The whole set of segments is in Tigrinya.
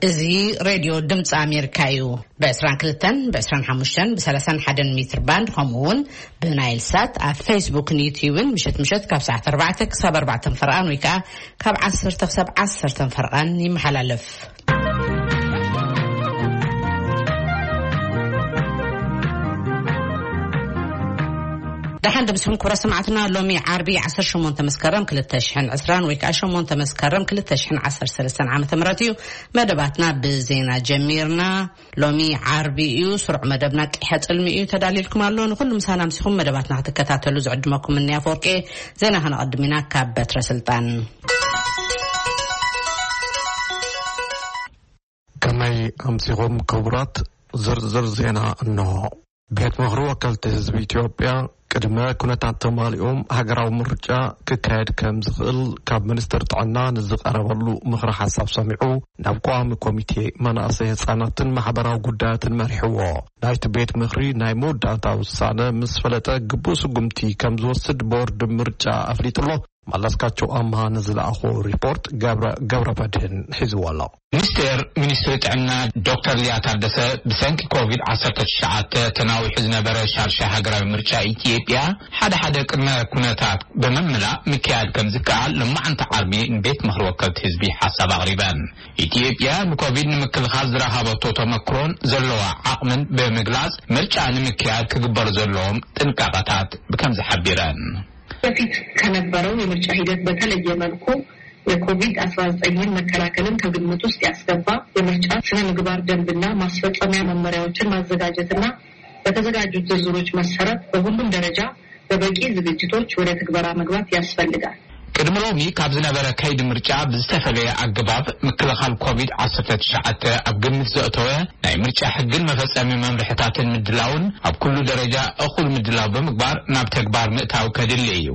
እዚ ሬድዮ ድምፂ ኣሜሪካ እዩ። ብ22፣ ብ25፣ ብ31 ሜትር ባንድ፣ ከምኡ እውን ብናይል ሳት ኣብ ፌስቡክን ዩትዩብን ምሸት ምሸት ካብ ሰዓት ኣርባዕተ ክሳብ ኣርባዕተ ፈርቓን ወይ ከዓ ካብ ዓሰርተ ክሳብ ዓሰርተ ፈርቓን ይመሓላለፍ። ደሓን ድምፅኹም ክቡራት ሰማዕትና። ሎሚ ዓርቢ ዓሰርተ ሸሞንተ መስከረም ክልተ ሽሕን ዕስራን ወይ ከዓ ሸሞንተ መስከረም ክልተ ሽሕን ዓሰርተ ሰለስተን ዓመተ ምህረት እዩ። መደባትና ብዜና ጀሚርና። ሎሚ ዓርቢ እዩ። ስሩዕ መደብና ቂሐ ጽልሚ እዩ ተዳልየልኩም ኣሎ። ንኹሉ ምሳና ኣምሲኹም መደባትና ክትከታተሉ ዝዕድመኩም እኒ ኣፈወርቂ። ዜና ከነቐድም ኢና ካብ በትረ ስልጣን። ከመይ ኣምሲኹም ክቡራት? ዝርዝር ዜና እንሆ። ቤት ምኽሪ ወከልቲ ህዝቢ ኢትዮጵያ ቅድመ ኩነታት ተማሊኦም ሃገራዊ ምርጫ ክካየድ ከም ዝኽእል ካብ ሚኒስትር ጥዕና ንዝቐረበሉ ምኽሪ ሓሳብ ሰሚዑ ናብ ቀዋሚ ኮሚቴ መናእሰይ ህፃናትን ማሕበራዊ ጉዳያትን መሪሕዎ። ናይቲ ቤት ምኽሪ ናይ መወዳእታ ውሳነ ምስ ፈለጠ ግቡእ ስጉምቲ ከም ዝወስድ ቦርድ ምርጫ ኣፍሊጡ ኣሎ። መለስካቸው ኣምሃ ንዝለኣኾ ሪፖርት ገብረ፣ ገብረ መድህን ሒዝዎ ኣሎ። ሚኒስቴር ሚኒስትሪ ጥዕና ዶክተር ሊያ ታደሰ ብሰንኪ ኮቪድ ዓሰርተ ትሽዓተ ተናዊሑ ዝነበረ ሻርሻ ሃገራዊ ምርጫ ኢትዮጵያ ሓደ ሓደ ቅድመ ኩነታት ብምምላእ ምክያድ ከም ዝከኣል ሎማዓንቲ ዓርቢ ንቤት ምኽሪ ወከልቲ ህዝቢ ሓሳብ ኣቕሪበን። ኢትዮጵያ ንኮቪድ ንምክልኻል ዝረኸበቶ ተመክሮን ዘለዋ ዓቕምን ብምግላጽ ምርጫ ንምክያድ ክግበሩ ዘለዎም ጥንቃቐታት ብከምዚ ሓቢረን። በፊት ከነበረው የምርጫ ሂደት በተለየ መልኩ የኮቪድ አስራ ዘጠኝን መከላከልን ከግምት ውስጥ ያስገባ የምርጫ ስነ ምግባር ደንብና ማስፈጸሚያ መመሪያዎችን ማዘጋጀትና በተዘጋጁት ዝርዝሮች መሰረት በሁሉም ደረጃ በበቂ ዝግጅቶች ወደ ትግበራ መግባት ያስፈልጋል። ቅድሚ ሎሚ ካብ ዝነበረ ከይዲ ምርጫ ብዝተፈለየ ኣገባብ ምክልኻል ኮቪድ ዓሰርተ ትሽዓተ ኣብ ግምት ዘእተወ ናይ ምርጫ ሕግን መፈጸሚ መምርሕታትን ምድላውን ኣብ ኩሉ ደረጃ እኹል ምድላው ብምግባር ናብ ተግባር ምእታው ከድሊ እዩ።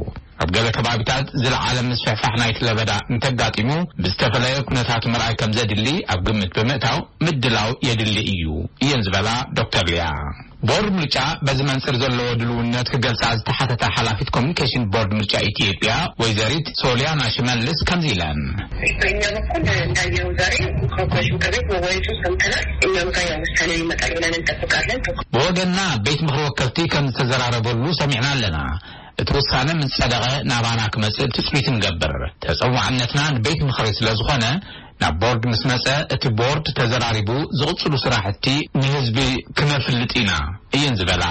ኣብ ገለ ከባቢታት ዝለዓለ ምስፍሕፋሕ ናይቲ ለበዳ እንተጋጢሙ ብዝተፈለየ ኩነታት ምርኣይ ከም ዘድሊ ኣብ ግምት ብምእታው ምድላው የድሊ እዩ እየን ዝበላ ዶክተር ሊያ። ቦርድ ምርጫ በዚ መንጽር ዘለዎ ድልውነት ክገልጻ ዝተሓተታ ሓላፊት ኮሚኒኬሽን ቦርድ ምርጫ ኢትዮጵያ ወይዘሪት ሶሊያና ሽመልስ ከምዚ ኢለን። በእኛ በኩል እንዳየኸው ዛሬ ኮርፖሬሽን ምክር ቤት መወያየቱ ሰምተናል። እኛም ጋር ያው ውሳኔ ይመጣል ብለን እንጠብቃለን። ብወገንና ቤት ምኽሪ ወከልቲ ከም ዝተዘራረበሉ ሰሚዕና ኣለና። እቲ ውሳነ ምስ ጸደቐ ናባና ክመጽእ ትጽቢት ንገብር። ተጸዋዕነትና ንቤት ምኽሪ ስለ ዝኾነ ናብ ቦርድ ምስ መጸ እቲ ቦርድ ተዘራሪቡ ዝቕጽሉ ስራሕቲ ንህዝቢ ክነፍልጥ ኢና እየን ዝበላ።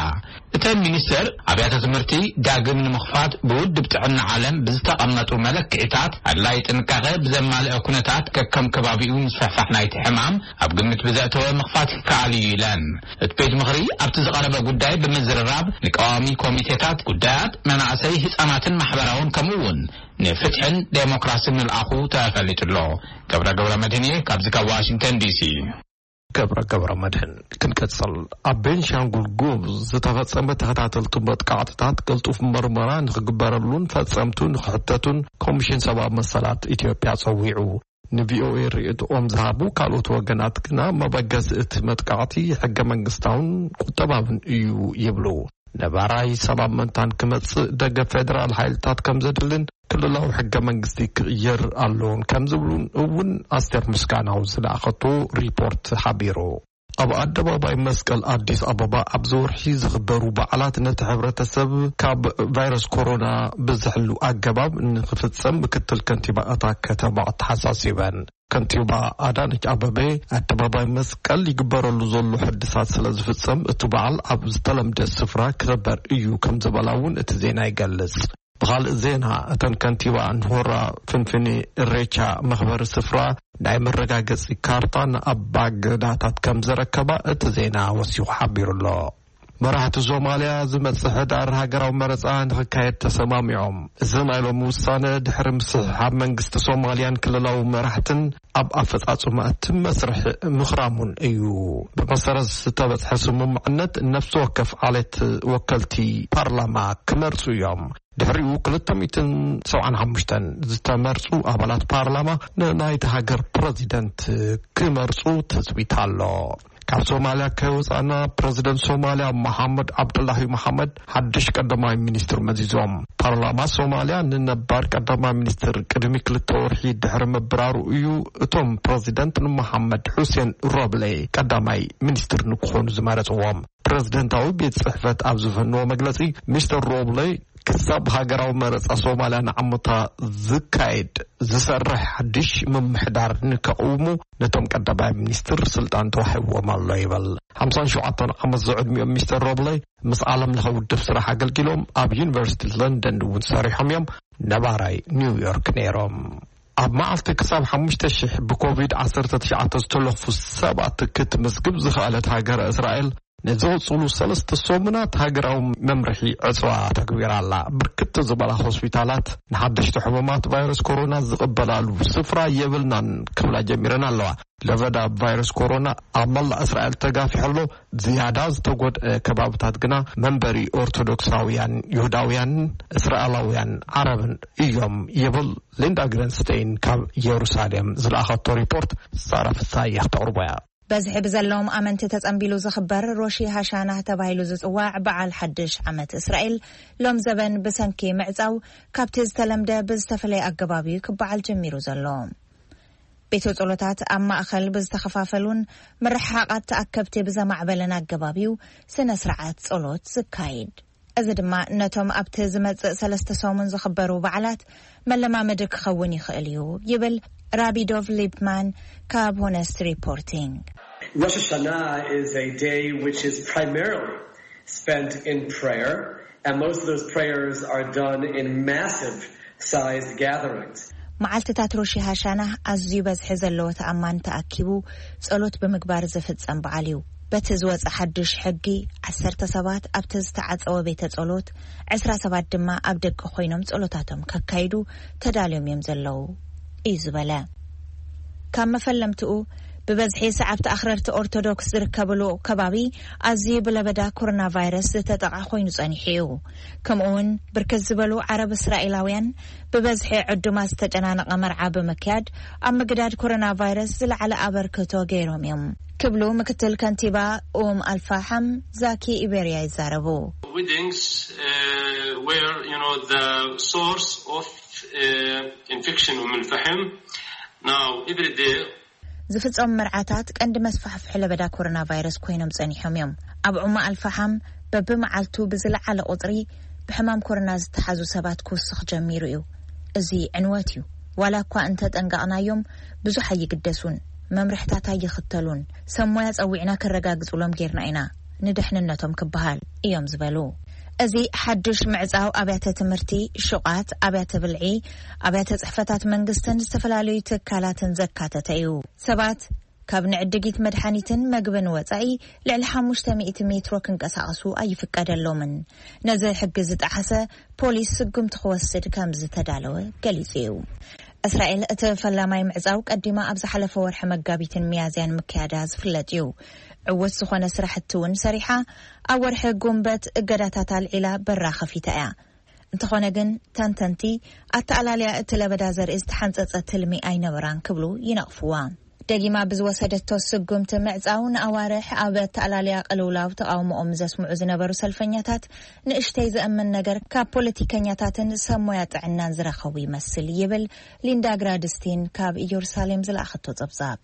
እተን ሚኒስተር ኣብያተ ትምህርቲ ዳግም ንምኽፋት ብውድብ ጥዕና ዓለም ብዝተቐመጡ መለክዒታት ኣድላይ ጥንቃቐ ብዘማልአ ኩነታት ከከም ከባቢኡ ምስፍሕፋሕ ናይቲ ሕማም ኣብ ግምት ብዘእተወ ምኽፋት ይከኣል እዩ ኢለን። እቲ ቤት ምኽሪ ኣብቲ ዝቐረበ ጉዳይ ብምዝርራብ ንቀዋሚ ኮሚቴታት ጉዳያት መናእሰይ፣ ህፃናትን ማሕበራውን ከምኡ እውን ንፍትሕን ዴሞክራስን ምልኣኹ ተፈሊጡ ኣሎ። ገብረ ገብረ መድህን እየ ካብዚ ካብ ዋሽንግተን ዲሲ። ገብረ ገብረ መድህን። ክንቀጽል፣ ኣብ ቤንሻንጉል ጉሙዝ ዝተፈጸመ ተኸታተልቲ መጥቃዕትታት ቅልጡፍ መርመራ ንኽግበረሉን ፈጸምቱ ንኽሕተቱን ኮሚሽን ሰብኣዊ መሰላት ኢትዮጵያ ጸዊዑ። ንቪኦኤ ርእይቶኦም ዝሃቡ ካልኦት ወገናት ግና መበገሲ እቲ መጥቃዕቲ ሕገ መንግስታውን ቁጠባውን እዩ ይብሉ። ነባራይ ሰላም መንታን ክመጽእ ደገፍ ፌደራል ሓይልታት ከም ዘድልን ክልላዊ ሕገ መንግስቲ ክቕየር ኣለዎን ከም ዝብሉን እውን ኣስቴር ምስጋናው ዝለኣኸቶ ሪፖርት ሓቢሩ። ኣብ ኣደባባይ መስቀል ኣዲስ ኣበባ ኣብዚ ወርሒ ዝኽበሩ በዓላት ነቲ ሕብረተሰብ ካብ ቫይረስ ኮሮና ብዝሕሉ ኣገባብ ንኽፍጸም ምክትል ከንቲባ እታ ከተማ ኣተሓሳሲበን። ከንቲባ ኣዳነች ኣበቤ ኣደባባይ መስቀል ይግበረሉ ዘሎ ሕድሳት ስለ ዝፍጸም እቲ በዓል ኣብ ዝተለምደ ስፍራ ክኽበር እዩ ከም ዝበላ እውን እቲ ዜና ይገልጽ። ብኻልእ ዜና እተን ከንቲባ ንሆራ ፍንፍኔ እሬቻ መኽበሪ ስፍራ ናይ መረጋገጺ ካርታን ኣባገዳታት ከም ዘረከባ እቲ ዜና ወሲኹ ሓቢሩ ኣሎ። መራሕቲ ሶማልያ ዝመጽእ ሕዳር ሃገራዊ መረጻ ንኽካየድ ተሰማሚዖም። እዚ ናይ ሎሚ ውሳነ ድሕሪ ምስሕሓብ መንግስቲ ሶማልያን ክልላዊ መራሕትን ኣብ ኣፈጻጽማ እቲ መስርሕ ምኽራሙን እዩ። ብመሰረት ዝተበጽሐ ስምምዕነት ነፍሲ ወከፍ ዓሌት ወከልቲ ፓርላማ ክመርጹ እዮም። ድሕሪኡ ክልተ ሚእትን ሰብዓን ሓሙሽተን ዝተመርጹ ኣባላት ፓርላማ ንናይቲ ሃገር ፕረዚደንት ክመርጹ ትጽቢት ኣሎ። ካብ ሶማልያ ከይወፃእና፣ ፕረዚደንት ሶማልያ መሓመድ ዓብዱላሂ መሓመድ ሓድሽ ቀዳማይ ሚኒስትር መዚዞም። ፓርላማ ሶማልያ ንነባር ቀዳማይ ሚኒስትር ቅድሚ ክልተ ወርሒ ድሕሪ ምብራሩ እዩ እቶም ፕረዚደንት ንመሓመድ ሑሴን ሮብሌ ቀዳማይ ሚኒስትር ንክኾኑ ዝመረፅዎም። ፕረዚደንታዊ ቤት ጽሕፈት ኣብ ዝፈነዎ መግለጺ፣ ሚስተር ሮብሌ ክሳብ ሃገራዊ መረጻ ሶማልያ ንዓመታ ዝካየድ ዝሰርሕ ሓድሽ ምምሕዳር ንከቕውሙ ነቶም ቀዳማይ ሚኒስትር ስልጣን ተዋሂብዎም ኣሎ ይብል። ሓምሳን ሸውዓተን ዓመት ዝዕድሚኦም ሚስተር ሮብሌ ምስ ዓለም ለኸ ውድብ ስራሕ ኣገልጊሎም ኣብ ዩኒቨርሲቲ ለንደን እውን ሰሪሖም እዮም። ነባራይ ኒውዮርክ ነይሮም። ኣብ መዓልቲ ክሳብ ሓሙሽተ ሽሕ ብኮቪድ ዓሰርተ ትሽዓተ ዝተለኽፉ ሰባት ክትምዝግብ ዝኸኣለት ሃገረ እስራኤል፣ ንዝቕጽሉ ሰለስተ ሰሙናት ሃገራዊ መምርሒ ዕጽዋ ተግቢራ ኣላ። ብርክት ዝበላ ሆስፒታላት ንሓደሽቲ ሕሙማት ቫይረስ ኮሮና ዝቕበላሉ ስፍራ የብልናን ክብላ ጀሚረን ኣለዋ። ለበዳ ቫይረስ ኮሮና ኣብ መላእ እስራኤል ተጋፊሑ ኣሎ። ዝያዳ ዝተጎድአ ከባብታት ግና መንበሪ ኦርቶዶክሳውያን፣ ይሁዳውያን፣ እስራኤላውያን፣ ዓረብን እዮም ይብል ሊንዳ ግረንስቴይን ካብ ኢየሩሳሌም ዝለኣኸቶ ሪፖርት ሳራ ፍሳየ ክተቕርቦ እያ። በዝሒ ብዘለዎም ኣመንቲ ተጸንቢሉ ዝኽበር ሮሺ ሃሻናህ ተባሂሉ ዝጽዋዕ በዓል ሓድሽ ዓመት እስራኤል ሎም ዘበን ብሰንኪ ምዕጻው ካብቲ ዝተለምደ ብዝተፈለየ ኣገባብ እዩ ክበዓል ጀሚሩ ዘሎ። ቤተ ጸሎታት ኣብ ማእከል ብዝተኸፋፈሉን ምርሕሓቓት ተኣከብቲ ብዘማዕበለን ኣገባብ እዩ ስነ ስርዓት ጸሎት ዝካየድ። እዚ ድማ ነቶም ኣብቲ ዝመጽእ ሰለስተ ሰሙን ዝኽበሩ በዓላት መለማመዲ ክኸውን ይኽእል እዩ ይብል ራቢ ዶቭ ሊፕማን ካብ ሆነስት ሪፖርቲንግ። Rosh Hashanah is a day which is primarily spent in prayer, and most of those prayers are done in massive sized gatherings. መዓልትታት ሮሺ ሃሻና ኣዝዩ በዝሒ ዘለዎ ተኣማን ተኣኪቡ ጸሎት ብምግባር ዝፍጸም በዓል እዩ። በቲ ዝወጸ ሓድሽ ሕጊ፣ ዓሰርተ ሰባት ኣብቲ ዝተዓጸወ ቤተ ጸሎት፣ ዕስራ ሰባት ድማ ኣብ ደገ ኮይኖም ጸሎታቶም ከካይዱ ተዳልዮም እዮም ዘለዉ እዩ ዝበለ። ካብ መፈለምትኡ፣ ብበዝሒ ሰዓብቲ ኣኽረርቲ ኦርቶዶክስ ዝርከብሉ ከባቢ ኣዝዩ ብለበዳ ኮሮና ቫይረስ ዝተጠቕዐ ኮይኑ ጸኒሑ እዩ። ከምኡ እውን ብርክት ዝበሉ ዓረብ እስራኤላውያን ብበዝሒ ዕዱማት ዝተጨናነቐ መርዓ ብምክያድ ኣብ ምግዳድ ኮሮና ቫይረስ ዝለዓለ ኣበርክቶ ገይሮም እዮም ክብሉ ምክትል ከንቲባ ኡም ኣልፋሓም ዛኪ ኢቤርያ ይዛረቡ። Weddings, uh, were, you know, the source of, uh, infection, ኡም ኣልፋሕም. Now, every day ዝፍጸሙ መርዓታት ቀንዲ መስፋሕፍሒ ለበዳ ኮሮና ቫይረስ ኮይኖም ጸኒሖም እዮም። ኣብ ዑማ ኣልፋሓም በብመዓልቱ ብዝለዓለ ቁጽሪ ብሕማም ኮሮና ዝተሓዙ ሰባት ክውስኽ ጀሚሩ እዩ። እዚ ዕንወት እዩ። ዋላ እኳ እንተጠንቀቕናዮም፣ ብዙሕ ኣይግደሱን፣ መምርሕታት ኣይኽተሉን። ሰብ ሞያ ጸዊዕና ከረጋግጹሎም ጌርና ኢና፣ ንድሕንነቶም ክበሃል እዮም ዝበሉ። እዚ ሓድሽ ምዕጻው ኣብያተ ትምህርቲ፣ ሹቓት፣ ኣብያተ ብልዒ፣ ኣብያተ ጽሕፈታት መንግስትን ዝተፈላለዩ ትካላትን ዘካተተ እዩ። ሰባት ካብ ንዕድጊት መድሓኒትን መግብን ወጻኢ ልዕሊ ሓሙሽተ ሚእቲ ሜትሮ ክንቀሳቐሱ ኣይፍቀደሎምን። ነዚ ሕጊ ዝጠሓሰ ፖሊስ ስጉምቲ ክወስድ ከም ዝተዳለወ ገሊጹ እዩ። እስራኤል እቲ ፈላማይ ምዕጻው ቀዲማ ኣብ ዝሓለፈ ወርሒ መጋቢትን ሚያዝያን ምክያዳ ዝፍለጥ እዩ። ዕዉት ዝኾነ ስራሕቲ እውን ሰሪሓ፣ ኣብ ወርሒ ጉንበት እገዳታት ኣልዒላ በራ ከፊታ እያ። እንተኾነ ግን፣ ተንተንቲ ኣተኣላልያ እቲ ለበዳ ዘርኢ ዝተሓንጸጸ ትልሚ ኣይነበራን ክብሉ ይነቕፍዋ። ደጊማ ብዝወሰደቶ ስጉምቲ ምዕጻው ንኣዋርሕ ኣብ ኣተኣላልያ ቅልውላው ተቓውሞኦም ዘስምዑ ዝነበሩ ሰልፈኛታት ንእሽተይ ዘእምን ነገር ካብ ፖለቲከኛታትን ሰብ ሞያ ጥዕናን ዝረኸቡ ይመስል ይብል ሊንዳ ግራድስቲን ካብ ኢየሩሳሌም ዝለኣኸቶ ጸብጻብ።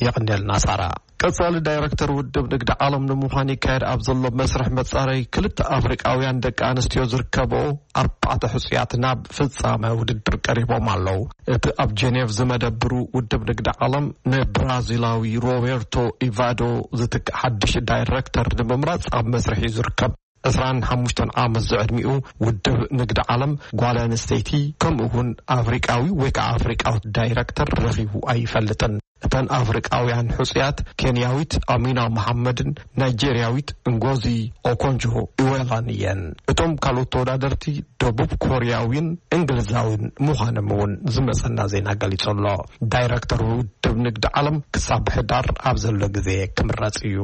የቐንየልና ሳራ። ቀጻሊ ዳይረክተር ውድብ ንግዲ ዓለም ንምዃን ይካየድ ኣብ ዘሎ መስርሕ መጻረይ ክልተ ኣፍሪቃውያን ደቂ ኣንስትዮ ዝርከብኦ ኣርባዕተ ሕጹያት ናብ ፍጻመ ውድድር ቀሪቦም ኣለዉ። እቲ ኣብ ጀኔቭ ዝመደብሩ ውድብ ንግዲ ዓለም ንብራዚላዊ ሮቤርቶ ኢቫዶ ዝትክእ ሓድሽ ዳይረክተር ንምምራጽ ኣብ መስርሕ እዩ ዝርከብ። ዕስራን ሓሙሽተን ዓመት ዝዕድሚኡ ውድብ ንግዲ ዓለም ጓል ኣንስተይቲ ከምኡ እውን ኣፍሪቃዊ ወይ ከዓ ኣፍሪቃዊት ዳይረክተር ረኺቡ ኣይፈልጥን። እተን ኣፍሪቃውያን ሕጹያት ኬንያዊት ኣሚና መሓመድን ናይጄርያዊት እንጎዚ ኦኮንጆ ኢዌላን እየን። እቶም ካልኦት ተወዳደርቲ ደቡብ ኮርያዊን እንግሊዛዊን ምዃኖም እውን ዝመጸና ዜና ገሊጹ ኣሎ። ዳይረክተር ውድብ ንግዲ ዓለም ክሳብ ሕዳር ኣብ ዘሎ ግዜ ክምረጽ እዩ።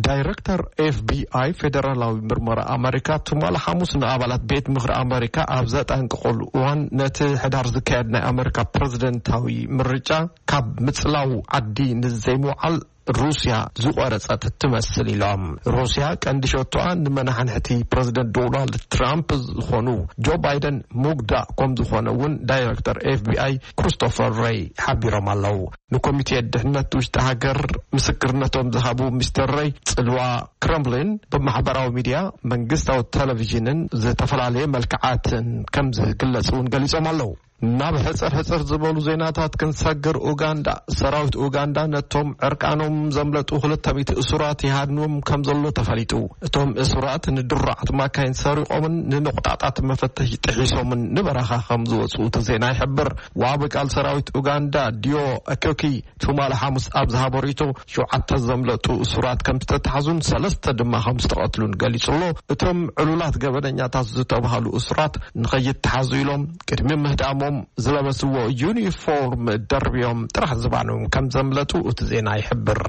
ዳይረክተር ኤፍ ቢ ኣይ ፌደራላዊ ምርመራ ኣመሪካ ትማሊ ሓሙስ ንኣባላት ቤት ምኽሪ ኣመሪካ ኣብ ዘጠንቀቐሉ እዋን፣ ነቲ ሕዳር ዝካየድ ናይ ኣመሪካ ፕረዚደንታዊ ምርጫ ካብ ምጽላው ዓዲ ንዘይምውዓል ሩስያ ዝቆረጸት ትመስል ኢሎም። ሩስያ ቀንዲ ሸቶኣ ንመናሕንሕቲ ፕረዚደንት ዶናልድ ትራምፕ ዝኾኑ ጆ ባይደን ምጉዳእ ከም ዝኾነ እውን ዳይሬክተር ኤፍቢኣይ ክሪስቶፈር ሬይ ሓቢሮም ኣለዉ። ንኮሚቴ ድሕነት ውሽጢ ሃገር ምስክርነቶም ዝሃቡ ሚስተር ሬይ፣ ጽልዋ ክረምሊን ብማሕበራዊ ሚድያ መንግስታዊ ቴሌቪዥንን ዝተፈላለየ መልክዓትን ከም ዝግለጽ እውን ገሊጾም ኣለዉ። ናብ ሕጽር ሕጽር ዝበሉ ዜናታት ክንሰግር፣ ኡጋንዳ፣ ሰራዊት ኡጋንዳ ነቶም ዕርቃኖም ዘምለጡ ክልተ ሚእቲ እሱራት ይሃድንዎም ከም ዘሎ ተፈሊጡ። እቶም እሱራት ንድሩዓት ማካይን ሰሪቖምን ንንቑጣጣት መፈተሺ ጥሒሶምን ንበረኻ ከም ዝወጹ እቲ ዜና ይሕብር። ዋቢ ቃል ሰራዊት ኡጋንዳ ዲዮ ኣኪዮኪ ትማሊ ሓሙስ ኣብ ዝሃቦ ርእይቶ፣ ሸውዓተ ዘምለጡ እሱራት ከም ዝተታሕዙን ሰለስተ ድማ ከም ዝተቐትሉን ገሊጹ ኣሎ። እቶም ዕሉላት ገበነኛታት ዝተባህሉ እሱራት ንኸይተሓዙ ኢሎም ቅድሚ ምህዳሞም ዝለበስዎ ዩኒፎርም ደርብዮም ጥራሕ ዝባኖም ከም ዘምለጡ እቲ ዜና ይሕብር።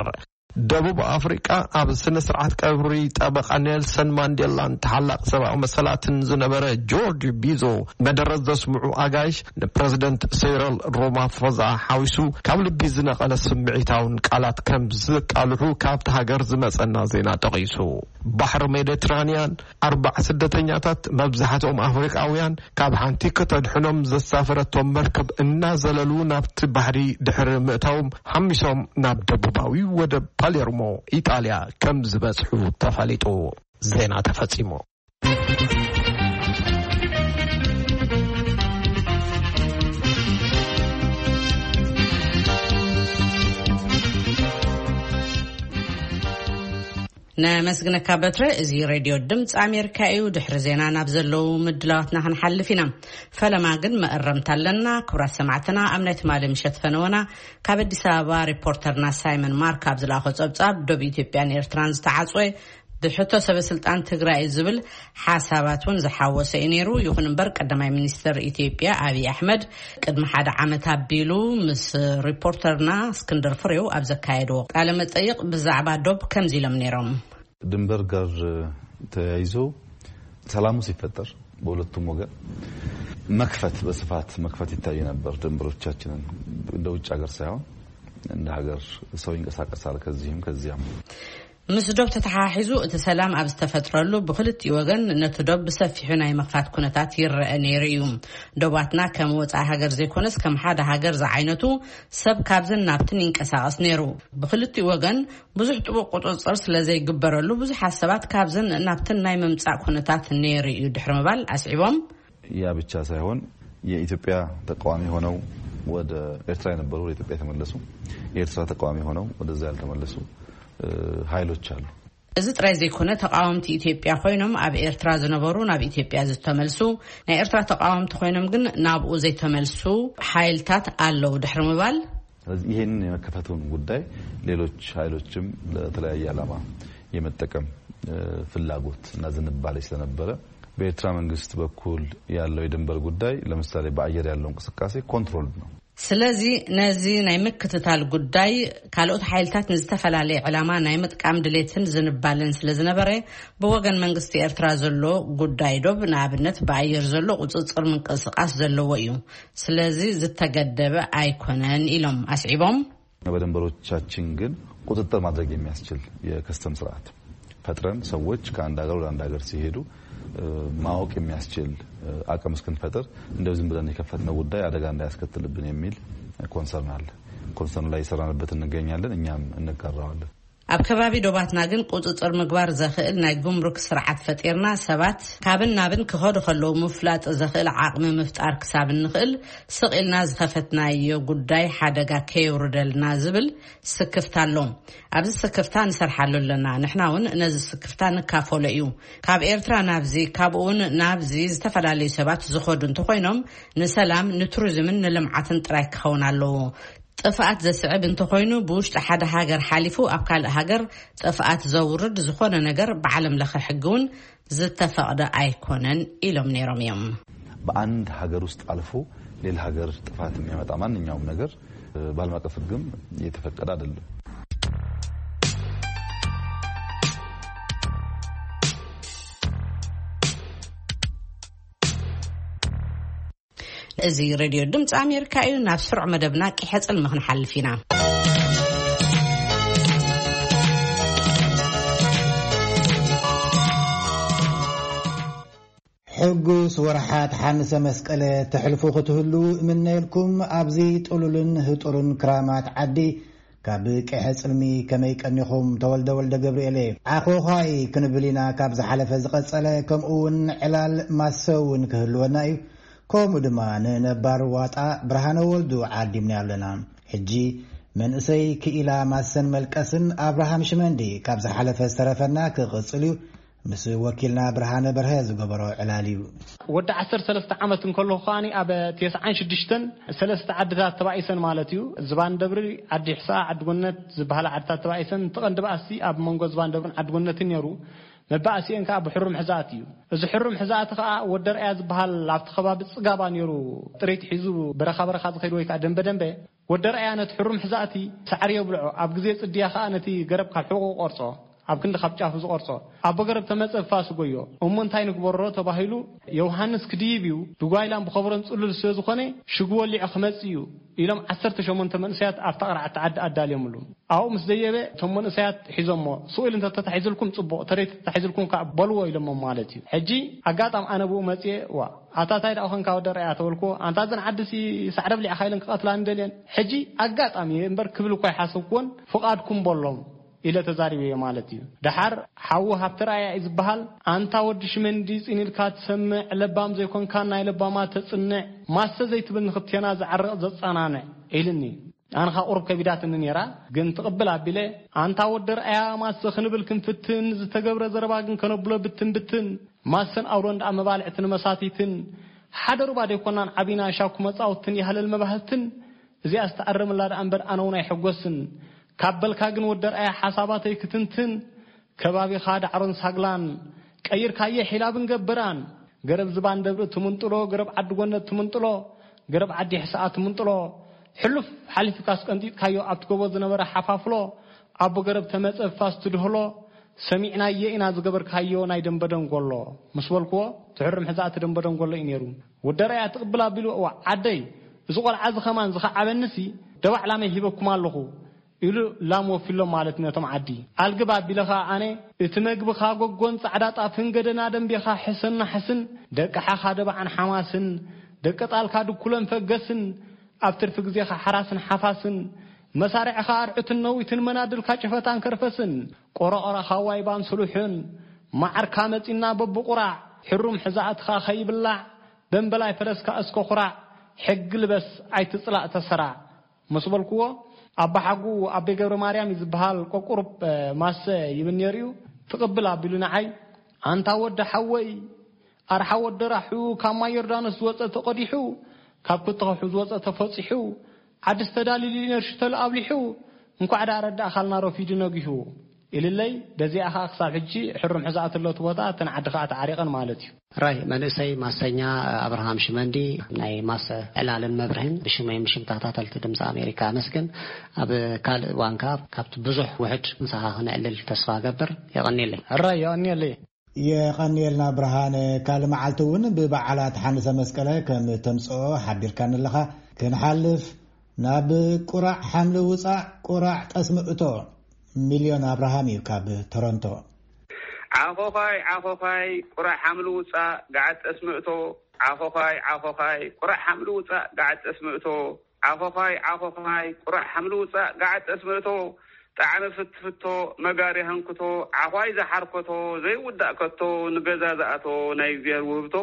ደቡብ ኣፍሪቃ፣ ኣብ ስነ ስርዓት ቀብሪ ጠበቃ ኔልሰን ማንዴላን ተሓላቂ ሰብኣዊ መሰላትን ዝነበረ ጆርጅ ቢዞ መደረት ዘስምዑ ኣጋይሽ፣ ንፕረዚደንት ሴረል ሮማፎዛ ሓዊሱ ካብ ልቢ ዝነቐለ ስምዒታውን ቃላት ከም ዝቃልሑ ካብቲ ሃገር ዝመጸና ዜና ጠቒሱ። ባሕሪ ሜዲትራንያን ኣርባዓ ስደተኛታት፣ መብዛሕትኦም ኣፍሪቃውያን፣ ካብ ሓንቲ ከተድሕኖም ዘሳፈረቶም መርከብ እናዘለሉ ናብቲ ባሕሪ ድሕሪ ምእታዎም፣ ሓሚሶም ናብ ደቡባዊ ወደብ ፓሌርሞ ኢጣልያ ከም ዝበጽሑ ተፈሊጡ። ዜና ተፈጺሙ። ነመስግነካ በትረ። እዚ ሬድዮ ድምፂ ኣሜሪካ እዩ። ድሕሪ ዜና ናብ ዘለዉ ምድላዋትና ክንሓልፍ ኢና። ፈለማ ግን መእረምታ ኣለና። ክቡራት ሰማዕትና፣ ኣብ ናይ ትማሊ ምሸት ፈነወና ካብ ኣዲስ ኣበባ ሪፖርተርና ሳይመን ማርክ ኣብ ዝለኣኾ ጸብጻብ፣ ዶብ ኢትዮጵያን ኤርትራን ዝተዓጽወ ብሕቶ ሰበ ስልጣን ትግራይ ዝብል ሓሳባት እውን ዝሓወሰ እዩ ነይሩ። ይኹን እምበር፣ ቀዳማይ ሚኒስትር ኢትዮጵያ ኣብይ ኣሕመድ ቅድሚ ሓደ ዓመት ኣቢሉ ምስ ሪፖርተርና እስክንድር ፍሬው ኣብ ዘካየድዎ ቃለ መጠይቕ ብዛዕባ ዶብ ከምዚ ኢሎም ነይሮም። ድንበር ጋር ተያይዞ ሰላሙ ሲፈጠር በሁለቱም ወገን መክፈት፣ በስፋት መክፈት ይታይ ነበር። ድንበሮቻችንን እንደ ውጭ ሀገር ሳይሆን እንደ ሀገር ሰው ይንቀሳቀሳል ከዚህም ከዚያም። ምስ ዶብ ተተሓሒዙ እቲ ሰላም ኣብ ዝተፈጥረሉ፣ ብክልቲኡ ወገን ነቲ ዶብ ብሰፊሑ ናይ ምኽፋት ኩነታት ይረአ ነይሩ እዩ። ዶባትና ከም ወጻኢ ሃገር ዘይኮነስ ከም ሓደ ሃገር ዝዓይነቱ ሰብ ካብዝን ናብትን ይንቀሳቐስ ነይሩ። ብክልቲኡ ወገን ብዙሕ ጥቡቕ ቁጽጽር ስለ ዘይግበረሉ፣ ብዙሓት ሰባት ካብዝን ናብትን ናይ ምምጻእ ኩነታት ነይሩ እዩ ድሕሪ ምባል ኣስዒቦም። ያ ብቻ ሳይሆን የኢትዮጵያ ተቃዋሚ ሆነው ወደ ኤርትራ የነበሩ ወደ ኢትዮጵያ የተመለሱ፣ የኤርትራ ተቃዋሚ ሆነው ወደዛ ያልተመለሱ፣ እ፣ ኃይሎች አሉ። እዚ ጥራይ ዘይኮነ፣ ተቃወምቲ ኢትዮጵያ ኮይኖም ኣብ ኤርትራ ዝነበሩ ናብ ኢትዮጵያ ዝተመልሱ፣ ናይ ኤርትራ ተቃወምቲ ኮይኖም ግን ናብኡ ዘይተመልሱ ሓይልታት ኣለዉ ድሕሪ ምባል። ስለዚህ ይሄንን የመከፈቱን ጉዳይ ሌሎች ኃይሎችም ለተለያየ ዓላማ የመጠቀም፣ እ፣ ፍላጎት እና ዝንባሌ ስለነበረ፣ በኤርትራ መንግስት በኩል ያለው የድንበር ጉዳይ፣ ለምሳሌ በአየር ያለው እንቅስቃሴ ኮንትሮልድ ነው። ስለዚ ነዚ ናይ ምክትታል ጉዳይ፣ ካልኦት ሓይልታት ንዝተፈላለየ ዕላማ ናይ ምጥቃም ድሌትን ዝንባለን ስለ ዝነበረ፣ ብወገን መንግስቲ ኤርትራ ዘሎ ጉዳይ ዶብ፣ ንኣብነት፣ ብኣየር ዘሎ ቁጽጽር ምንቅስቃስ ዘለዎ እዩ። ስለዚ ዝተገደበ ኣይኮነን ኢሎም ኣስዒቦም። በድንበሮቻችን ግን ቁጥጥር ማድረግ የሚያስችል የከስተም ስርዓት ፈጥረን፣ ሰዎች ከአንድ ሀገር ወደ አንድ ሀገር ሲሄዱ፣ እ፣ ማወቅ የሚያስችል፣ እ፣ አቅም እስክንፈጥር፣ እንደው ዝም ብለን የከፈትነው ጉዳይ አደጋ እንዳያስከትልብን የሚል ኮንሰርን አለ። ኮንሰርኑ ላይ እየሰራንበት እንገኛለን። እኛም እንጋራዋለን። ኣብ ከባቢ ዶባትና ግን ቁጽጽር ምግባር ዘኽእል ናይ ጉምሩክ ስርዓት ፈጢርና፣ ሰባት ካብን ናብን ክኸዱ ከለዉ ምፍላጥ ዘኽእል ዓቕሚ ምፍጣር ክሳብ እንኽእል፣ ስቕ ኢልና ዝኸፈትናዮ ጉዳይ ሓደጋ ከየውርደልና ዝብል ስክፍታ ኣሎ። ኣብዚ ስክፍታ ንሰርሓሉ ኣለና። ንሕና እውን ነዚ ስክፍታ ንካፈሎ እዩ። ካብ ኤርትራ ናብዚ፣ ካብኡ እውን ናብዚ ዝተፈላለዩ ሰባት ዝኸዱ እንተኾይኖም፣ ንሰላም፣ ንቱሪዝምን ንልምዓትን ጥራይ ክኸውን ኣለዎ። ጥፍኣት ዘስዕብ እንተኾይኑ፣ ብውሽጢ ሓደ ሃገር ሓሊፉ ኣብ ካልእ ሃገር ጥፍኣት ዘውርድ ዝኾነ ነገር ብዓለም ለኸ ሕጊ እውን ዝተፈቕደ ኣይኮነን ኢሎም ነይሮም እዮም። በአንድ ሀገር ውስጥ አልፎ ሌላ ሀገር ጥፋት የሚያመጣ ማንኛውም ነገር፣ እ፣ በዓለም አቀፍ ሕግም የተፈቀደ አይደለም። እዚ ሬድዮ ድምፂ ኣሜሪካ እዩ። ናብ ስሩዕ መደብና ቂሐ ጽልሚ ክንሓልፍ ኢና። ሕጉስ ወርሓት ሓንሰ መስቀለ ተሕልፉ ክትህሉ እምነየልኩም። ኣብዚ ጥሉልን ህጡርን ክራማት ዓዲ ካብ ቅሐ ጽልሚ ከመይ ቀኒኹም? ተወልደ ወልደ ገብርኤል እየ። ዓኾዃይ ክንብል ኢና ካብ ዝሓለፈ ዝቐጸለ፣ ከምኡ እውን ዕላል ማሰ እውን ክህልወና እዩ። ከምኡ ድማ ንነባር ዋጣ ብርሃነ ወልዱ ዓዲምና ኣለና። ሕጂ መንእሰይ ክኢላ ማሰን መልቀስን ኣብርሃም ሽመንዲ ካብ ዝሓለፈ ዝተረፈና ክቕጽል እዩ። ምስ ወኪልና ብርሃነ በርሀ ዝገበሮ ዕላል እዩ። ወዲ ዓሰርተ ሰለስተ ዓመት እንከለኹ ከኣ ኣብ ተስዓን ሽዱሽተን ሰለስተ ዓድታት ተባኢሰን ማለት እዩ። ዝባን ደብሪ፣ ዓዲ ሕሳ፣ ዓዲ ጎነት ዝበሃላ ዓድታት ተባኢሰን፣ እቲ ቀንዲ ባእሲ ኣብ መንጎ ዝባን ደብርን ዓዲ ጎነትን ነይሩ። መባእሲኤን ከኣ ብሕሩም ሕዛእቲ እዩ። እዚ ሕሩም ሕዛእቲ ከኣ ወደርኣያ ዝበሃል ኣብቲ ከባቢ ጽጋባ ነይሩ፣ ጥሪት ሒዙ በረኻ በረኻ ዝኸይድ ወይ ከኣ ደንበ ደንበ። ወደርኣያ ነቲ ሕሩም ሕዛእቲ ሳዕሪ የብልዖ፣ ኣብ ግዜ ጽድያ ከኣ ነቲ ገረብ ካብ ሕቖ ቆርጾ፣ ኣብ ክንዲ ካብ ጫፉ ዝቆርጾ። ኣቦ ገረብ ተመጸ ፋስ ጎዮ። እሞ እንታይ ንግበሮ ተባሂሉ፣ ዮሃንስ ክድይብ እዩ፣ ብጓይላን ብኸበሮን ጽሉል ስለ ዝኾነ ሽጉ ወሊዑ ክመጽእ እዩ ኢሎም ዓሰርተ ሸሞንተ መንእሰያት ኣብታ ቅርዓቲ ዓዲ ኣዳልዮምሉ። ኣብኡ ምስ ደየበ እቶም መንእሰያት ሒዞሞ፣ ስቕ ኢሉ እንተተታሒዝልኩም ጽቡቕ፣ ተረይ ተታሒዝልኩም ከኣ በልዎ ኢሎሞም ማለት እዩ። ሕጂ ኣጋጣም ኣነ ብኡ መጽየ፣ ዋ፣ ኣታ ታይ ደኣ ኾንካ ወደርኣያ ተበልኩዎ። ኣንታ እዘን ዓድሲ ሳዕሪ ኣብሊዕኻ ኢለን ክቐትላኒ ደልየን። ሕጂ ኣጋጣሚ እየ እምበር ክብል እኳ ኣይሓሰብኩዎን፣ ፍቓድኩም በሎም ኢለ ተዛሪበዮ ማለት እዩ። ደሓር ሓዉ ሃብተርኣያ እዩ ዝበሃል። ኣንታ ወዲ ሽመንዲ ጽን ኢልካ ትሰምዕ፣ ለባም ዘይኮንካ ናይ ለባማት ተጽንዕ፣ ማሰ ዘይትብል ንኽልቴና ዝዓርቕ ዘጸናንዕ ኢልኒ። ኣነ ኸኣ ቁሩብ ከቢዳትኒ ነይራ፣ ግን ትቕብል ኣቢለ፣ ኣንታ ወዲ ርኣያ ማሰ ክንብል ክንፍትን፣ ዝተገብረ ዘረባ ግን ከነብሎ ብትን ብትን። ማሰን ኣውሎን ደኣ መባልዕትን መሳቲትን፣ ሓደ ሩባ ደይኮናን ዓቢና ሻኩ መጻውትን ያህለል መባህትን። እዚኣ ዝተኣረመላ ደኣ እምበር ኣነ እውን ኣይሕጎስን። ካብ በልካ ግን ወዲ ርኣያ ሓሳባተይ ክትንትን፣ ከባቢኻ ዳዕሮን ሳግላን ቀይርካየ ሒላብን ገብራን። ገረብ ዝባን ደብሪ ትምንጥሎ፣ ገረብ ዓዲ ጎነት ትምንጥሎ፣ ገረብ ዓዲ ሕስኣ ትምንጥሎ። ሕሉፍ ሓሊፍካስ ቀንጢጥካዮ ኣብቲ ጎቦ ዝነበረ ሓፋፍሎ። ኣቦ ገረብ ተመጸ ፋስ ትድህሎ፣ ሰሚዕናየ ኢና ዝገበርካዮ ናይ ደንበ ደንጎሎ። ምስ በልክዎ፣ ትሕርም ሕዛእቲ ደንበ ደንጎሎ እዩ ነይሩ። ወደርኣያ ትቕብል ኣቢሉ፣ እዋ ዓደይ፣ እዚ ቆልዓ እዚ ኸማን ዝኸዓበኒሲ ደባዕ ላመይ ሂበኩም ኣለኹ። ኢሉ ላም ወፊሎም ማለት ነቶም ዓዲ። ኣልግብ ኣቢለ ኸኣ ኣነ፣ እቲ መግብኻ ጎጎን ጻዕዳ ጣፍን ገደና ደንቤኻ ሕስን ናሕስን፣ ደቂ ሓኻ ደባዕን ሓማስን፣ ደቂ ጣልካ ድኩለን ፈገስን፣ ኣብ ትርፊ ግዜኻ ሓራስን ሓፋስን፣ መሳርዕኻ ኣርዑትን ነዊትን መናድልካ ጭፈታን ከርፈስን፣ ቆረቆራኻ ዋይባን ስሉሕን፣ መዓርካ መጺና በብቁራዕ፣ ሕሩም ሕዛእትኻ ኸይብላዕ፣ ደንበላይ ፈረስካ እስከ ኩራዕ፣ ሕጊ ልበስ ኣይትጽላእ ተሰራዕ። ምስ በልክዎ፣ ኣባሓጉ ኣቤ ገብረ ማርያም እዩ ዝበሃል፣ ቆቁሩብ፣ እ፣ ማሰ ይብል ነይሩ እዩ። ትቕብል ኣቢሉ ንዓይ፣ ኣንታ ወዲ ሓወይ፣ ኣርሓ ወዲ ራሑ፣ ካብ ማይ ዮርዳኖስ ዝወጸ ተቐዲሑ፣ ካብ ክትኸሑ ዝወጸ ተፈጺሑ፣ ዓድስ ተዳሊሉ ነርሹ ተልኣብሊሑ፣ እንኳዕ ደኣ ረዳእኻልና ረፊዱ ነጊሁ። ኢልለይ፣ በዚኣ ኸኣ ክሳብ ሕጂ ሕሩም ሕዛእቲ ኣሎ እቲ ቦታ፣ እተን ዓዲ ኸኣ ተዓሪቐን ማለት እዩ። ራይ መንእሰይ ማሰኛ ኣብርሃም ሽመንዲ ናይ ማሰ ዕላልን መብርህን ብሽመይን ብሽም ተኸታተልቲ ድምፂ ኣሜሪካ ኣመስግን። ኣብ ካልእ እዋን ከኣ ካብቲ ብዙሕ ውሕድ ምሳኻ ክነዕልል ተስፋ እገብር። የቐንየለይ። ራይ የቐንየለይ። የቐንየልና ብርሃነ። ካልእ መዓልቲ እውን ብበዓላት ሓንሰ መስቀለ ከም ተምፅኦ ሓቢርካኒ ኣለኻ። ክንሓልፍ ናብ ቁራዕ ሓምሊ ውፃእ ቁራዕ ጠስሚ እቶ። ሚልዮን ኣብርሃም እዩ ካብ ቶሮንቶ። ዓኾዃይ ዓኾዃይ ቁራዕ ሓምሊ ውፃእ ገዓት ጠስሚ እቶ። ዓኾዃይ ዓኾዃይ ቁራዕ ሓምሊ ውፃእ ገዓት ጠስሚ እቶ። ዓኾዃይ ዓኾዃይ ቁራዕ ሓምሊ ውፃእ ገዓት ጠስሚ እቶ። ጣዕሚ ፍትፍቶ መጋሪ ሃንክቶ። ዓዃይ ዝሓርኮቶ ዘይውዳእ ከቶ። ንገዛ ዝኣቶ ናይ እግዚኣብሔር ውህብቶ።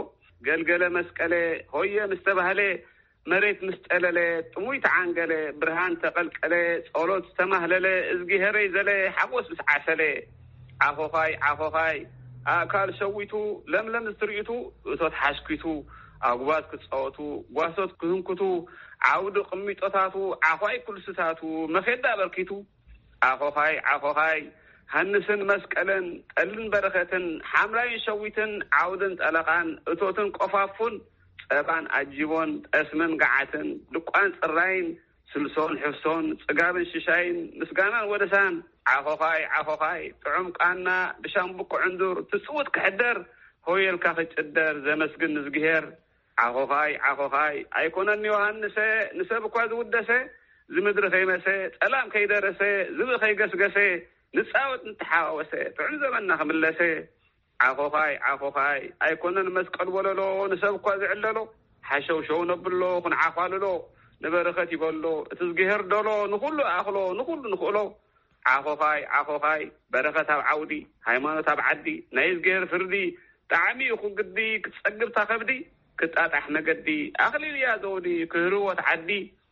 ገልገለ መስቀለ ሆየ ምስ ተባህለ መሬት ምስ ጠለለ፣ ጥሙይ ተዓንገለ፣ ብርሃን ተቐልቀለ፣ ጸሎት ዝተማህለለ፣ እዝጊሄረይ ዘለ፣ ሓጎስ ምስ ዓሰለ። ዓኾዃይ፣ ዓኾዃይ፣ ኣእካል ሸዊቱ፣ ለምለም ዝትርኢቱ፣ እቶት ሓሽኪቱ፣ ኣጉባዝ ክጻወቱ፣ ጓሶት ክህንኩቱ፣ ዓውዲ ቅሚጦታቱ፣ ዓዃይ ኩልስታቱ፣ መኼዳ ኣበርኪቱ። ዓኾዃይ፣ ዓኾዃይ፣ ሃንስን መስቀልን፣ ጠልን በረኸትን፣ ሓምላይን ሸዊትን፣ ዓውድን ጠለቓን፣ እቶትን ቆፋፉን፣ ጸባን ኣጂቦን፣ ጠስምን ገዓትን፣ ድቋን ጽራይን፣ ስልሶን ሕፍሶን፣ ጽጋብን ሽሻይን፣ ምስጋናን ወደሳን። ዓኾዃይ፣ ዓኾዃይ፣ ጥዑም ቃና፣ ብሻምብቆ ዕንዱር፣ ትጽውት ክሕደር፣ ሆየልካ ክጭደር፣ ዘመስግን ንዝግሄር። ዓኾዃይ፣ ዓኾዃይ፣ ኣይኮነን ዮሃንሰ፣ ንሰብ እኳ ዝውደሰ፣ ዝምድሪ ከይመሰ፣ ጠላም ከይደረሰ፣ ዝብኢ ከይገስገሰ፣ ንጻወት ንተሓዋወሰ፣ ጥዑም ዘመንና ክምለሰ። ዓኾኻይ ዓኾኻይ ኣይኮነን መስቀል ወለሎ፣ ንሰብ እኳ ዝዕለሎ። ሓሸውሸው ነብሎ ክንዓዃልሎ፣ ንበረኸት ይበሎ እቲ ዝግሄር ደሎ፣ ንኹሉ ኣኽሎ ንኹሉ ንኽእሎ። ዓኾኻይ ዓኾኻይ በረኸት ኣብ ዓውዲ፣ ሃይማኖት ኣብ ዓዲ፣ ናይ እዝግሄር ፍርዲ። ጣዕሚ ይኹን ግዲ ክትጸግብ ታኸብዲ፣ ክጣጣሕ መገዲ። ኣኽሊል እያ ዘውዲ ክህርወት ዓዲ።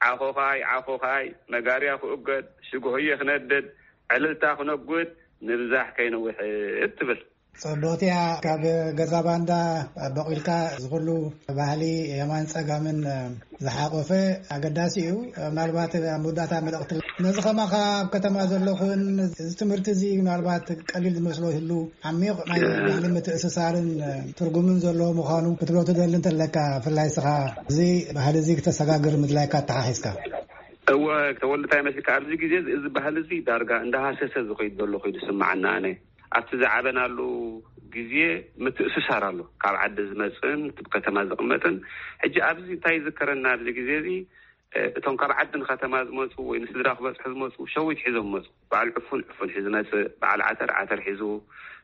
ዓኾኻይ ዓኾኻይ መጋርያ ክእገድ፣ ሽግሆየ ክነድድ፣ ዕልልታ ክነጉድ፣ ንብዛሕ ከይንውሕድ ትብል። ጽብቕቲ እያ። ካብ ገዛ ባንዳ በቑልካ ዝኹሉ ባህሊ የማን ጸጋምን ዝሓቆፈ ኣገዳሲ እዩ። ምናልባት ኣብ መወዳእታ መልእኽቲ ነዚ ከማኻ ኣብ ከተማ ዘለኹን እዚ ትምህርቲ እዚ ምናልባት ቀሊል ዝመስሎ ይህሉ፣ ዓሚቕ ናይ ባህሊ ምትእስሳርን ትርጉምን ዘለዎ ምዃኑ ክትብሎ ትደሊ እንተለካ፣ ብፍላይ ስኻ እዚ ባህሊ እዚ ክተሰጋግር ምድላይካ ኣተሓሒዝካ። እወ፣ ተወልደ፣ እንታይ መስልካ፣ ኣብዚ ግዜ እዚ፣ እዚ ባህሊ እዚ ዳርጋ እንዳሃሰሰ ዝኸይድ ዘሎ ኮይኑ ዝስምዓና ኣነ። ኣብቲ ዝዓበናሉ ግዜ ምትእስሳር ኣሎ፣ ካብ ዓዲ ዝመጽእን እቲ ከተማ ዝቕመጥን። ሕጂ ኣብዚ እንታይ ይዝከረና ኣብዚ ግዜ እዚ፣ እ፣ እቶም ካብ ዓዲ ንከተማ ዝመጹ ወይ ንስድራ ክበጽሑ ዝመጹ ሸዊት ሒዞም መጹ። በዓል ዕፉን ዕፉን ሒዙ መጽእ፣ በዓል ዓተር ዓተር ሒዙ፣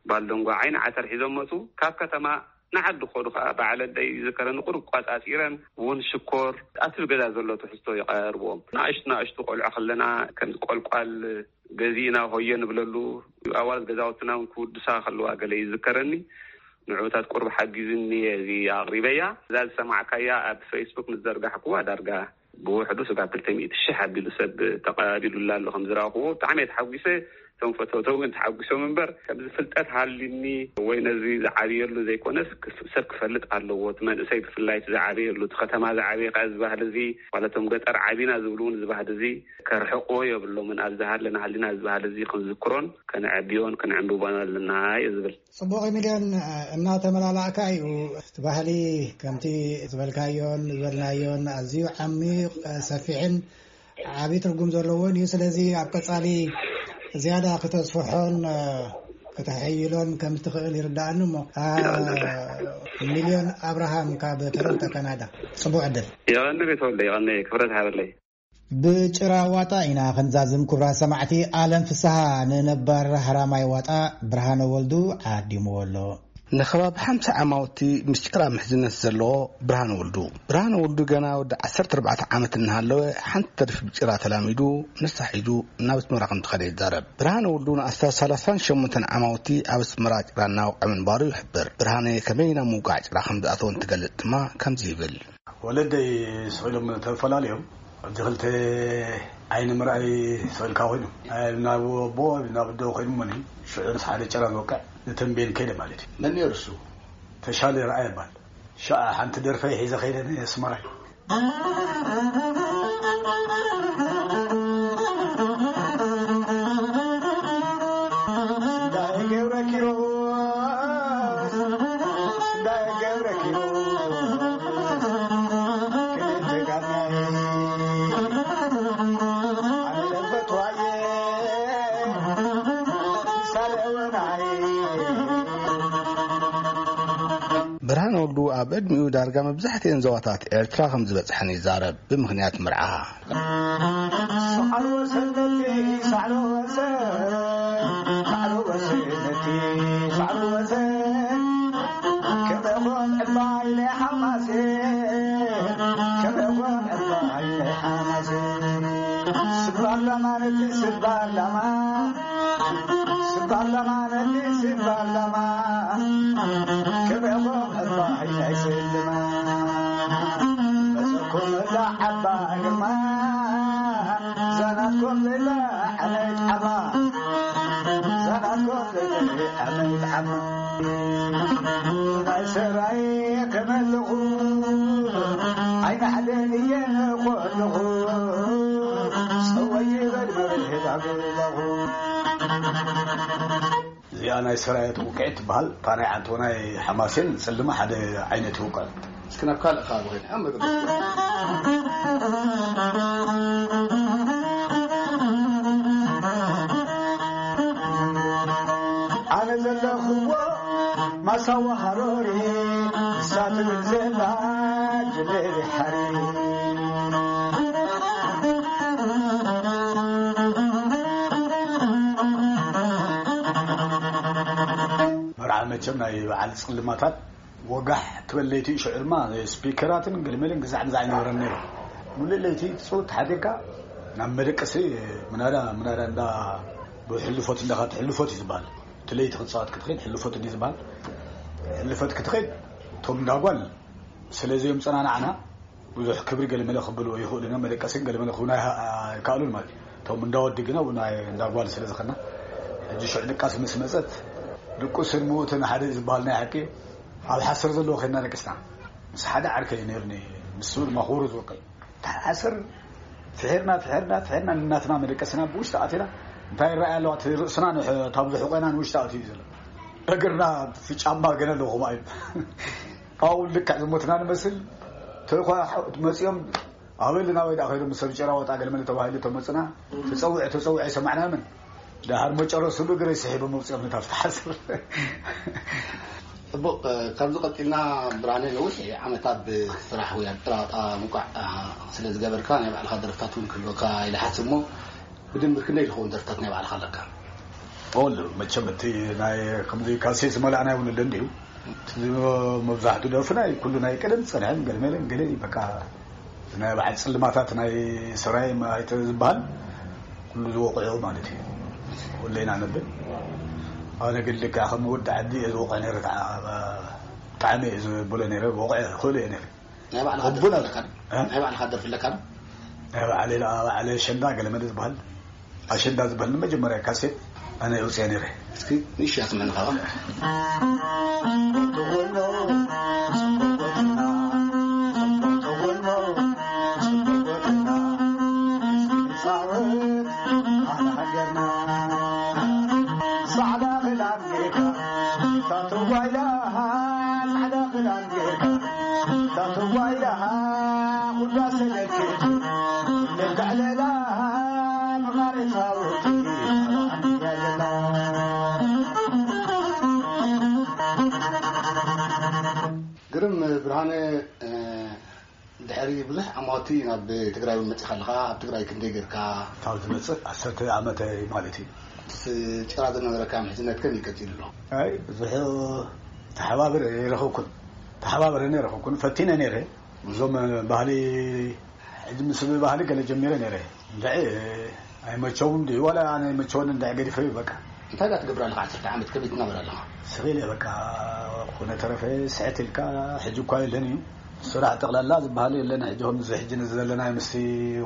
በዓል ደንጓ ዓይኒ ዓተር ሒዞም መጹ። ካብ ከተማ ንዓዲ ክኸዱ ከኣ በዓል ኣደይ ይዝከረኒ ቁሩብ ቋጻጺረን ቡን ሽኮር ኣብቲ ገዛ ዘሎ ትሕዝቶ ይቐርብዎም። ንኣሽቱ ንኣሽቱ ቆልዑ ከለና ከም ቆልቋል ገዚእና ሆየ ንብለሉ፣ ኣዋልድ ገዛውትና እውን ክውድሳ ከለዋ ገለ ይዝከረኒ። ንዕኡታት ቁሩብ ሓጊዙኒ እየ እዚ ኣቕሪበያ። እዛ ዝሰማዕካያ ኣብ ፌስቡክ ምስ ዘርጋሕክዋ ዳርጋ ብውሕዱ ስጋብ ክልተ ሚእቲ ሽሕ ኣቢሉ ሰብ ተቐቢሉላ ኣሎ ከም ዝረኣኹዎ። ብጣዕሚ እየ ተሓጒሰ። እቶም ፈተውተው እውን ተሓጒሶም እምበር፣ ከምዚ ፍልጠት ሃልዩኒ ወይ ነዚ ዝዓብየሉ ዘይኮነስ፣ ክፍ-፣ ሰብ ክፈልጥ ኣለዎ። እቲ መንእሰይ ብፍላይ እቲ ዝዓበየሉ፣ እቲ ከተማ ዝዓበየ ከኣ እዚ ባህሊ እዚ፣ ማለት እቶም ገጠር ዓቢና ዝብሉ እውን እዚ ባህሊ እዚ ከርሕቕዎ የብሎምን። ኣብ ዝሃለና ሃሊና እዚ ባህሊ እዚ ክንዝክሮን ከነዕብዮን ከነዕንብቦን ኣለና እየ ዝብል። ጽቡቕ ሚልዮን፣ እናተመላላእካ እዩ እቲ ባህሊ ከምቲ ዝበልካዮን ዝበልናዮን ኣዝዩ ዓሚቕ፣ ሰፊሕን ዓቢ ትርጉም ዘለዎን እዩ። ስለዚ ኣብ ቀጻሊ ዝያዳ ክተስፍሖን፣ እ፣ ክተሐይሎን ከም እትኽእል ይርድኣኒ እሞ፣ እ፣ ሚልዮን ኣብርሃም ካብ ቶሮንቶ ካናዳ፣ ጽቡቕ ዕድል። የቐኒ ቤተወልደ፣ የቐኒ ክብረት ሃበለይ። ብጭራ ዋጣ ኢና ክንዛዝም፣ ክቡራት ሰማዕቲ። ኣለም ፍስሃ ንነባር ሃራማይ ዋጣ ብርሃነ ወልዱ ዓዲምዎ ኣሎ። ንከባቢ ሓምሳ ዓማውቲ ምስ ጭራ ምሕዝነት ዘለዎ ብርሃነ ወልዱ። ብርሃነ ወልዱ ገና ወዲ ዓሰርተ ኣርባዕተ ዓመት እናሃለወ ሓንቲ ተሪፍ ብጭራ ተላሚዱ ንሳ ሒዙ ናብ ኣስመራ ከም ዝኸደ ይዛረብ። ብርሃነ ወልዱ ንኣስታት ሰላሳን ሸሞንተን ዓማውቲ ኣብ ኣስመራ ጭራ እናወቕዐ ምንባሩ ይሕብር። ብርሃነ ከመይ ናብ ምውቃዕ ጭራ ከም ዝኣተወ እንትገልጽ ድማ ከምዚ ይብል። ወለደይ ስቕ ኢሎም ተፈላለዮም። ሕጂ ክልተ ዓይኒ ምርኣይ ስቕ ኢልካ ኮይኑ፣ ናብ ኣቦ ናብ ኣዶ ኮይኑ እሞኒ፣ ሽዑ ምስ ሓደ ጭራ ዝወቅዕ ንተንቤን ከይደ ማለት እዩ። መን ነይሩ እሱ? ተሻለ ረኣያ ይበሃል። ሽዓ ሓንቲ ደርፈይ ሒዘ ከይደ ንኣስመራ። ብርሃነ ወልዱ ኣብ ዕድሚኡ ዳርጋ መብዛሕትኤን ዞባታት ኤርትራ ከም ዝበጽሐን ይዛረብ። ብምኽንያት መርዓ። ሳዕሪ ወሰነቲ፣ ሳዕሪ ወሰን፣ ሳዕሪ ወሰነቲ፣ ሳዕሪ ወሰን። ክበኾም ዕባይ ናይ ሓማሴ፣ ክበኾም ዕባይ ናይ ሓማሴ። ስባር ለማነቲ፣ ስባር ለማ፣ ስባር ለማነቲ፣ ስባር ለማ። ክብዕኹም ዕባይ ናይ ስልማ። መሰኩም እዛ ዓባይ ግርማ፣ ዘናትኩም ዘይተዓነይት ዓማ። ዘናትኩም ዘይተዓነይት ዓማ። ናይ ሰራይ ከመልኹ፣ ኣይናሕደን እየ ንኾልኹ። ጸወይ ይበል መብርሂ ዳግለኹ። እዚኣ ናይ ሰራየት ውቅዒት ትበሃል። እታ ናይ ዓንቶ ናይ ሓማሴን ጽልማ ሓደ ዓይነት ይውቀል። እስኪ ናብ ካልእ ከባቢ ኸይድ። ኣብ መገዲ ኣነ ዘለኽዎ ማሳዋ ሃሮሪ፣ ንሳ ትብል ዘላ ጅቤሪ ሓሪ። መርዓ መቸም ናይ በዓል ጽልማታት ወጋሕ ትበል ለይቲ፣ ሽዑ ድማ ስፒከራትን ገልመልን ግዛዕ ምዛዕ ኣይነበረን ነይሩ። ሙሉእ ለይቲ ጽውት ሓዲርካ ናብ መደቀሲ ምናዳ ምናዳ እንዳ ብሕልፎት እንዳኻ ትሕልፎት እዩ ዝበሃል። እቲ ለይቲ ክትጻወት ክትኸይድ ሕልፎት እንዲ ዝበሃል። ሕልፎት ክትኸይድ እቶም እንዳጓል ስለ ዘየምጸናናዕና ብዙሕ ክብሪ ገለመለ ክብሉ ይኽእሉ ኢና። መደቀስን ገለመለ ክብሉ ኣይሃ-፣ ኣይከኣሉን ማለት እዩ። እቶም እንዳወዲ ግና እውን ኣይ-፣ እንዳጓል ስለ ዝኸና፣ ሕጂ ሽዑ ድቃስ ምስ መጸት፣ ድቁስን ምዉትን ሓደ ዝበሃል ናይ ሓቂ ኣብ ሓሰር ዘለዎ ኸይድና ደቂስና። ምስ ሓደ ዓርከይ ነይሩኒ፣ ንሱ ድማ ክቡር ዝወቀይ። እቲ ሓሰር ፍሒርና፣ ፍሒርና፣ ፍሒርና፣ ንናትና መደቀስና ብውሽጢ ኣቲና፣ እንታይ ይረኣይ ኣለዋ? እቲ ርእስና ንሕ-፣ እታ ብዙሕ ቆና ንውሽጢ ኣትዩ እዩ ዘሎ። እግርና ጫማ ገና ኣለዎ፣ ከምኡ እዩ። ኣብኡ ልክዕ ዝሞትና ንመስል። ተኳ መጺኦም ኣበልና ወይ ደኣ ከይዶም ሰብ ጭራ ወጣ ገለ መለ ተባሂሉ ተመጽና። ተጸውዐ ተጸውዐ ኣይሰማዕናምን። ደሓር መጨረሱ ብእግረይ ስሒቦም መውጺኦም ነታ ፍትሓስር። ጽቡቕ። ካብዚ ቀጺልና ብርሃነ፣ ነዊሕ ዓመታት ብስራሕ ወይ ኣብ ጭራ ወጣ ምንቋዕ ስለ ዝገበርካ፣ ናይ ባዕልኻ ደርፍታት እውን ክህልወካ ኢለ ሓስብ እሞ፣ ብድምር ክንደይ ዝኸውን ደርፍታት ናይ ባዕልኻ ኣለካ? ኦል መቸም እቲ ናይ ከምዚ ካሴት ዝመላእና እውን ኣሎ እንዲዩ። እቲ መብዛሕቱ ደርፊ ናይ ኩሉ ናይ ቀደም ዝጸንሐን ገለመለን ገለ እዩ። በቃ ናይ በዓል ጽልማታት ናይ ሰራይ ኣይተ ዝበሃል ኩሉ ዝወቕዑ ማለት እዩ። ኩሉ ኢና ነብል። ኣነ ግን ልክዕ ከም ወዲ ዓዲ እየ ዝወቕዕ ነይረ። ብጣዕሚ እየ ዝብሎ ነይረ። ወቕዐ ክእሉ እየ ነይረ። ናይ ባዕልኻ ደርፊ ኣለካ ዶ? እ? ናይ ባዕልኻ ደርፊ ኣለካ ዶ? ናይ ባዕለይ ደኣ ባዕለ ሸንዳ ገለመለ ዝበሃል ኣሸንዳ ዝበሃል ንመጀመርያ ካሴት ኣነ የውፅአ ነይረ። እስኪ ንእሽቶ ኣስምዕኒ ካባ። ግርም ብርሃነ፣ ድሕሪ ብዙሕ ዓማውቲ ናብ ትግራይ እውን መፂኻ ኣለኻ። ኣብ ትግራይ ክንደይ ጌርካ? ካብ ዝመፅእ ዓሰርተ ዓመት ማለት እዩ። ጭራ ዝነበረካ ምሕዝነት ከመይ ቀፂሉ ኣሎ? ኣይ ብዙሕ ተሓባብር ይረኸብኩን ተሓባብረን ይረኸብኩን ፈቲነ ነይረ። እዞም ባህሊ ሕጂ ምስ ባህሊ ገለ ጀሚረ ነይረ። እንድዒ ኣይመቸውን ድዩ ዋላ ኣነ ኣይመቸወን እንድዒ ገዲፈ እዩ በቃ። እንታይ ዳ ትገብር ኣለኻ? ዓሰርተ ዓመት ከመይ ትናበር ኣለኻ? ስኺለ በቃ። ኮነ ተረፈ ስዕት ኢልካ ሕጂ እኳ የለን እዩ። ስራሕ ጠቕላላ ዝበሃል የለን ሕጂ ከምዚ ሕጂ ንዘለናዮ ምስቲ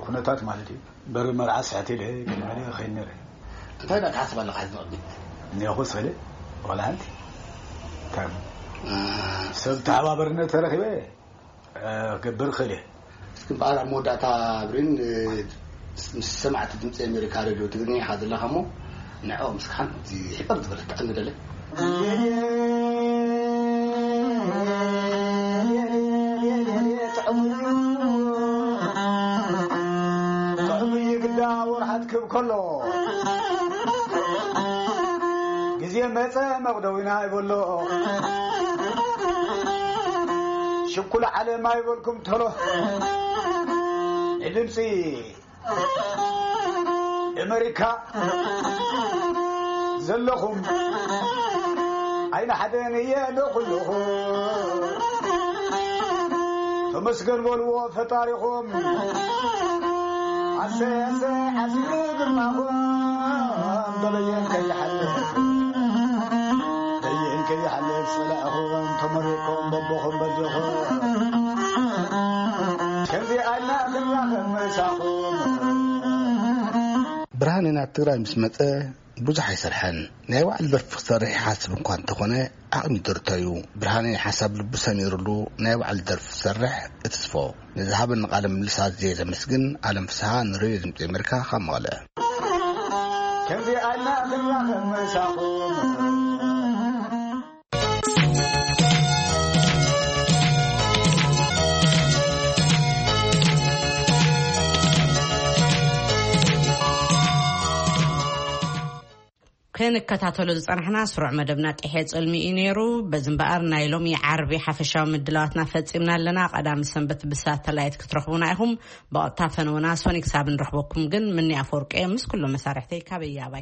ኩነታት ማለት እዩ። በሪ መርዓ ስዕት ኢለ ገለ ገለ ይኸይድ ነይረ። እንታይ ዳ ትሓስብ ኣለኻ ሕዚ ንቕድሚት? እኒኹ ስኺለ ዋላ ሓንቲ ከም ሰብ ተሓባበርነት ተረኺበ ክገብር እኽእል እየ። እስኪ እምበኣር ኣብ መወዳእታ ብሬን፣ ምስ ሰማዕቲ ድምፂ ኣሜሪካ ሬድዮ ትግርኛ ኢኻ ዘለኻ እሞ ንዕኦም እስኪ ሓንቲ ሕቕር ዝበለት ጥዕም ንደለ። ጥዑም እዩ ግዳ ወርሓት ክብ ከሎ ግዜ መፀ መቕደዊና ይበሎ። ሽኩል ዓለም ኣይበልኩም ተሎ ንድምፂ ኣመሪካ ዘለኹም ኣይንሓደን እየ ዶ ኩልኹም ተመስገን በልዎ ፈጣሪኹም። ኣሰይ ኣሰይ ሓሲቡ ግርማኹም በበየን ከይሓልፍ በየን ከይሓልፍ ጸላእኹም ተመሪቕኩም በቦኹም በጆኹም ከምዚ ኣልና ክንራኸብ ምሳኹም። ብርሃነ ናብ ትግራይ ምስ መጸ ብዙሕ ኣይሰርሐን። ናይ ባዕሉ ደርፊ ክሰርሕ ይሓስብ እኳ እንተኾነ ዓቕሚ ይደርቶ እዩ። ብርሃነ ሓሳብ ልቡ ሰሚሩሉ ናይ ባዕሉ ደርፊ ክሰርሕ እትስፎ። ንዝሃበኒ ቃለ ምልልስ ኣዝየ ዘመስግን። ኣለም ፍስሃ ንሬድዮ ድምፂ ኣሜሪካ ካብ መቐለ። ከምዚ ኣልና ክንራኸብ ምሳኹም። ክንከታተሎ ዝጸናሕና ስሩዕ መደብና ጥሕየ ጽልሚ እዩ ነይሩ። በዚ እምበኣር ናይ ሎሚ ዓርቢ ሓፈሻዊ ምድላዋትና ፈጺምና ኣለና። ቀዳሚ ሰንበት ብሳተላይት ክትረኽቡና ኢኹም። ብቐጥታ ፈነወና ሶኒ ክሳብ ንረኽበኩም ግን ምኒ ኣፈወርቂ እየ ምስ ኩሎም መሳርሕተይ ካበይ ኣባይ